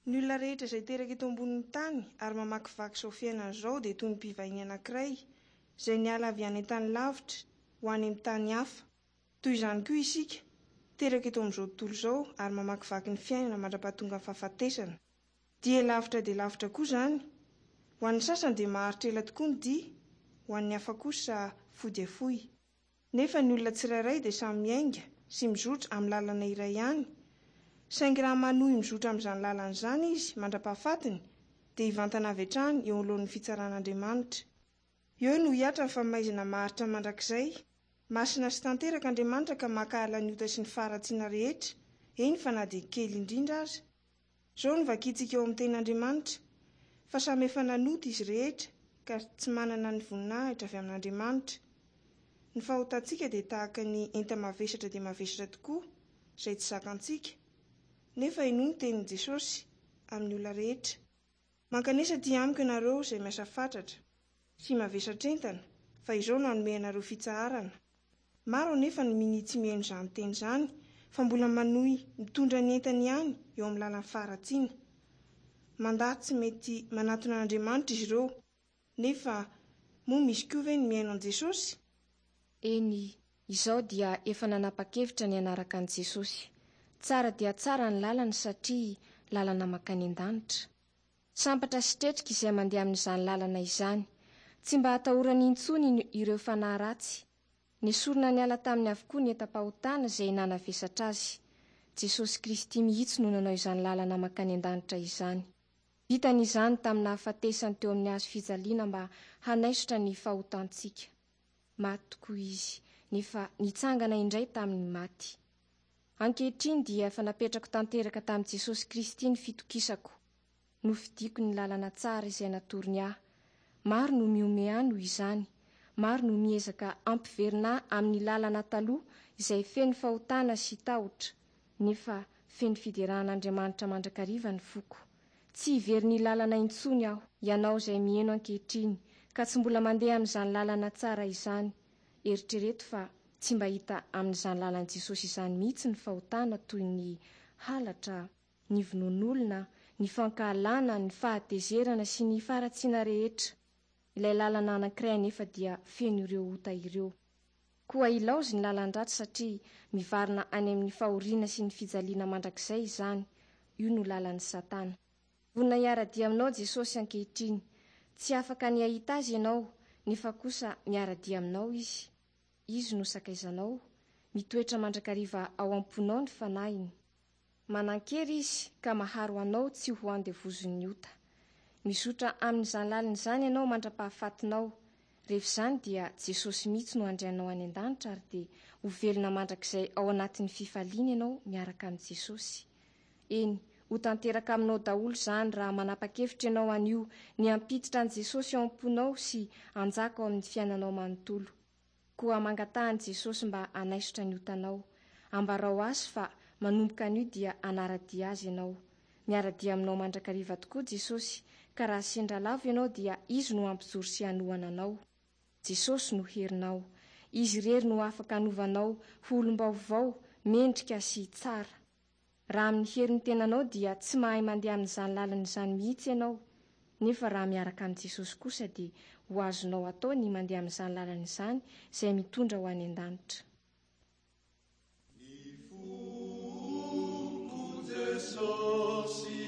Ny olona rehetra izay teraka eto ambonin'ny tany ary mamakivaky izao fiainana izao dia toy ny mpivahiny anankiray izay niala avy any an-tany lavitra ho any amin'ny tany hafa. Toy izany koa isika, teraka eto amin'izao tontolo izao ary mamakivaky ny fiainana mandra-pahatonga ny fahafatesana. Dia lavitra dia lavitra koa izany. Ho an'ny sasany dia maharitra ela tokoa ny dia, ho an'ny hafa kosa fohy dia fohy. Nefa ny olona tsirairay dia samy miainga sy mizotra amin'ny lalana iray ihany, saingy raha manohy mizotra amin'izany lalana izany izy mandra-pahafatiny dia hivantana avy hatrany eo anoloan'ny fitsaran'Andriamanitra. Eo no hihatra ny famaizana maharitra mandrakizay. Masina sy tanteraka Andriamanitra ka mankahala ny ota sy ny faharatsiana rehetra, eny fa na dia kely indrindra aza. Izao no vakintsika ao amin'ny Tenin'Andriamanitra, Fa samy efa nanota izy rehetra, ka tsy manana ny voninahitra avy amin'Andriamanitra. Ny fahotantsika dia tahaka ny enta-mavesatra dia mavesatra tokoa, izay tsy zakantsika. Nefa henoy ny tenin'i Jesosy amin'ny olona rehetra. Mankanesa aty amiko ianareo izay miasa fatratra sy mavesatr'entana, fa izao no hanome anareo fitsaharana. Maro anefa no minia tsy mihaino izany teny izany fa mbola manohy mitondra ny entany ihany eo amin'ny lalan'ny faharatsiana. Mandà tsy mety manatona an'Andriamanitra izy ireo. Nefa moa misy koa ve ny mihaino an'i Jesosy? Eny, izaho dia efa nanapa-kevitra ny hanaraka an'i Jesosy. Tsara dia tsara ny lalany satria lalana mankany an-danitra. Sambatra sy tretrika izay mandeha amin'izany lalana izany. Tsy mba atahorany intsony ireo fanahy ratsy. Nesorina niala taminy avokoa ny entam-pahotana izay nanavesatra azy. Jesosy Kristy mihitsy no nanao izany lalana mankany an-danitra izany. Vitany izany tamin'ny nahafatesany teo amin'ny hazo fijaliana mba hanaisotra ny fahotantsika. Maty tokoa Izy, nefa nitsangana indray tamin'ny maty. Ankehitriny dia efa napetrako tanteraka tamin'i Jesosy Kristy ny fitokisako. Nofidiko ny lalana tsara izay natorony ahy. Maro no mihomehy ahy noho izany. Maro no miezaka hampiverina ahy amin'ny lalana taloha izay feno fahotana sy tahotra. Nefa feno fiderana an'Andriamanitra mandrakariva ny foko. Tsy hiverina lalana intsony aho. Ianao izay miheno ankehitriny ka tsy mbola mandeha amin'izany lalana tsara izany, eritrereto fa tsy mba hita amin'izany lalan'i Jesosy izany mihitsy ny fahotana toy ny halatra, ny vonoan'olona, ny fankahalana, ny fahatezerana sy ny faharatsiana rehetra. Ilay lalana anankiray anefa dia feno ireo ota ireo. Koa ilaozy ny lalan-dratsy satria mivarina any amin'ny fahoriana sy ny fijaliana mandrakizay izany, io no lalan'i Satana. Vonona hiara-dia aminao Jesosy ankehitriny. Tsy afaka ny hahita Azy ianao, nefa kosa miara-dia aminao Izy. Izy no sakaizanao. Mitoetra mandrakariva ao am-ponao ny Fanahiny. Manan-kery Izy ka maharo anao tsy ho andevozin'ny ota. Mizotra amin'izany lalana izany ianao mandra-pahafatinao. Rehefa izany dia Jesosy mihitsy no handray anao any an-danitra ary dia ho velona mandrakizay ao anatin'ny fifaliana ianao miaraka amin'i Jesosy. Eny, ho tanteraka aminao daholo izany raha manapa-kevitra ianao anio ny hampiditra an'i Jesosy ao am-ponao sy hanjaka ao amin'ny fiainanao manontolo. Koa mangataha an'i Jesosy mba hanaisotra ny otanao. Ambarao Azy fa manomboka anio dia hanara-dia Azy ianao. Miara-dia aminao mandrakariva tokoa Jesosy, ka raha sendra lavo ianao dia Izy no hampijoro sy hanohana anao. Jesosy no herinao. Izy irery no afaka hanova anao ho olom-baovao, mendrika sy tsara. Raha amin'ny herin'ny tenanao dia tsy mahay mandeha amin'izany lalana izany mihitsy ianao, nefa raha miaraka amin'i Jesosy kosa dia ho azonao atao ny mandeha amin'izany lalana izany izay mitondra ho any an-danitra. Ny foko Jesosy.